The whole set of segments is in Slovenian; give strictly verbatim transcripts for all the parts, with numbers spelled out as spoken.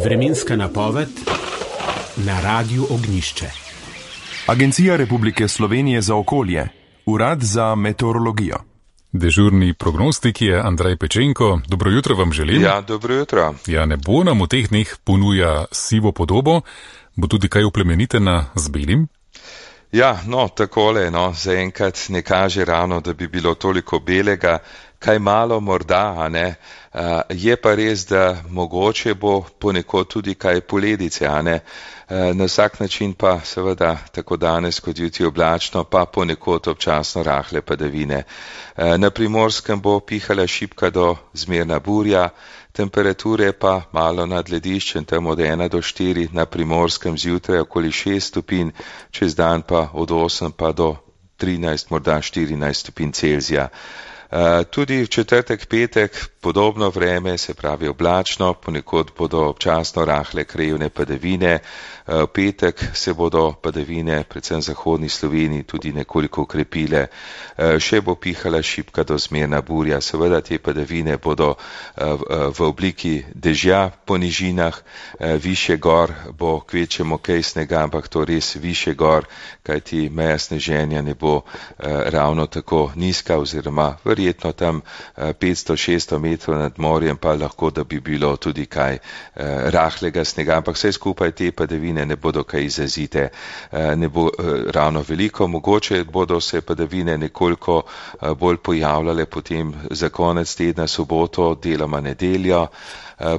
Vremenska napoved na Radiu Ognjišče. Agencija Republike Slovenije za okolje, Urad za meteorologijo. Dežurni prognostik je Andrej Pečenko. Dobro jutro vam želim. Ja, dobro jutro. Ja, nebo nam v teh dneh ponuja sivo podobo. Bo tudi kaj oplemenitena z belim? Ja, no, takole, no, zaenkrat ne kaže ravno, da bi bilo toliko belega, kaj malo morda, a ne. Uh, je pa res, da mogoče bo ponekod tudi kaj poledice, a ne. Uh, na vsak način pa seveda tako danes kot jutri oblačno, pa ponekod občasno rahle padavine. Uh, na Primorskem bo pihala šibka do zmerna burja, temperature pa malo nad lediščem, tam od ena do štiri, na Primorskem zjutraj okoli šest stopinj, čez dan pa od osem pa do trinajst, morda štirinajst stopinj Celzija. Uh, tudi v četrtek, petek podobno vreme, se pravi oblačno, ponekod bodo občasno rahle krajevne padavine, v uh, petek se bodo padavine, predvsem v zahodni Sloveniji, tudi nekoliko ukrepile, uh, še bo pihala šibka do zmerna burja, seveda te padavine bodo uh, v obliki dežja po nižinah, uh, više gor bo kvečemo kaj snega, ampak to res više gor, kajti meja sneženja ne bo uh, ravno tako nizka oziroma verjetno tam petsto šeststo metrov nad morjem, pa lahko, da bi bilo tudi kaj eh, rahlega snega, ampak vse skupaj te padavine ne bodo kaj izrazite, eh, ne bo eh, ravno veliko, mogoče bodo se padavine nekoliko eh, bolj pojavljale potem za konec tedna, soboto, deloma nedeljo.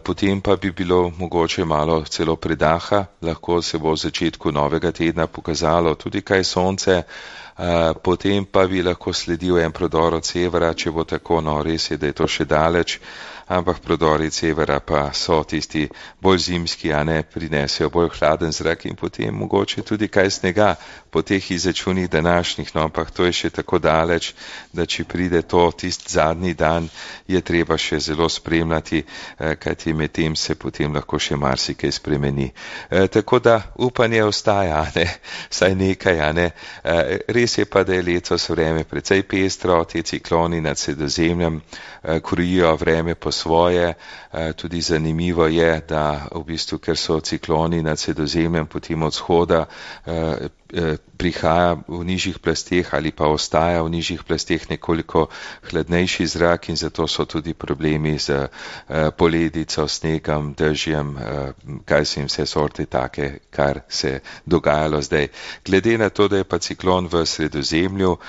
Potem pa bi bilo mogoče malo celo predaha, lahko se bo v začetku novega tedna pokazalo tudi kaj sonce, potem pa bi lahko sledil en prodor od severa, če bo tako, no res je, da je to še daleč, ampak prodori severa pa so tisti bolj zimski, a ne, prinesejo bolj hladen zrak in potem mogoče tudi kaj snega po teh izračunih današnjih, no ampak to je še tako daleč, da če pride to tist zadnji dan, je treba še zelo spremljati, kajti med tem se potem lahko še marsikaj spremeni. E, tako da upanje ostaja, a ne, saj nekaj, a ne. E, res je pa, da je letos vreme precej pestro, te cikloni nad Sredozemljem e, krojijo vreme po svoje, e, tudi zanimivo je, da v bistvu, ker so cikloni nad Sredozemljem potem od vzhoda, e, prihaja v nižjih plasteh ali pa ostaja v nižjih plasteh nekoliko hladnejši zrak in zato so tudi problemi z uh, poledico, snegom, dežjem, uh, kaj so jim vse sorte take, kar se dogajalo zdaj. Glede na to, da je pa ciklon v Sredozemlju uh,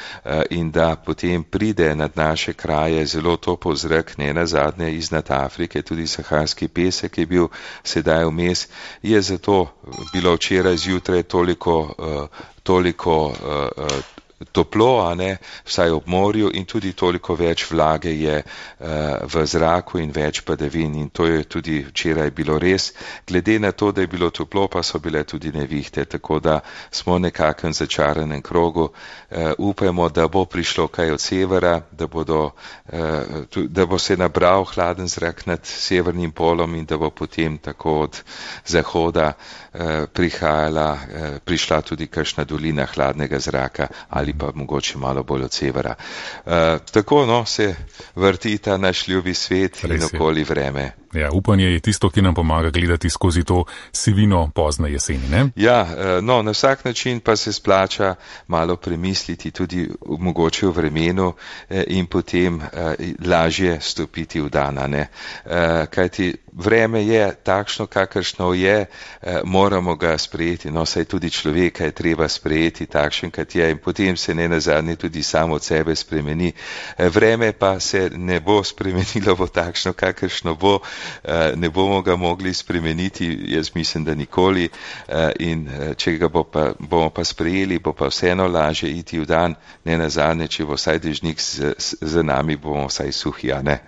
in da potem pride nad naše kraje zelo topel zrak, ne nazadnje iznad Afrike, tudi saharski pesek je bil sedaj vmes, je zato bilo včeraj zjutraj toliko uh, toliko uh, toplo, a ne, vsaj ob morju in tudi toliko več vlage je uh, v zraku in več padavin in to je tudi včeraj bilo res. Glede na to, da je bilo toplo, pa so bile tudi nevihte, tako da smo nekako v začaranem krogu. Uh, upajmo, da bo prišlo kaj od severa, da, bodo, uh, tu, da bo se nabral hladen zrak nad severnim polom in da bo potem tako od zahoda uh, prihajala, uh, prišla tudi kakšna dolina hladnega zraka ali pa mogoče malo bolj od severa. Uh, tako no, se vrti ta naš ljubi svet in okoli vreme. Ja, upanje je tisto, ki nam pomaga gledati skozi to sivino pozne jeseni, ne? Ja, no, na vsak način pa se splača malo premisliti tudi mogoče v vremenu in potem lažje stopiti v dana, ne? Kajti vreme je takšno, kakršno je, moramo ga sprejeti, no, saj tudi človeka je treba sprejeti takšen, kot je in potem se ne nazadnje tudi samo od sebe spremeni. Vreme pa se ne bo spremenilo bo takšno, kakršno bo, ne bomo ga mogli spremeniti, jaz mislim, da nikoli in če ga bo pa, bomo pa sprejeli, bo pa vseeno lažje iti v dan, ne nazadnje, če bo vsaj dežnik z, z nami, bomo vsaj suhi, a ne.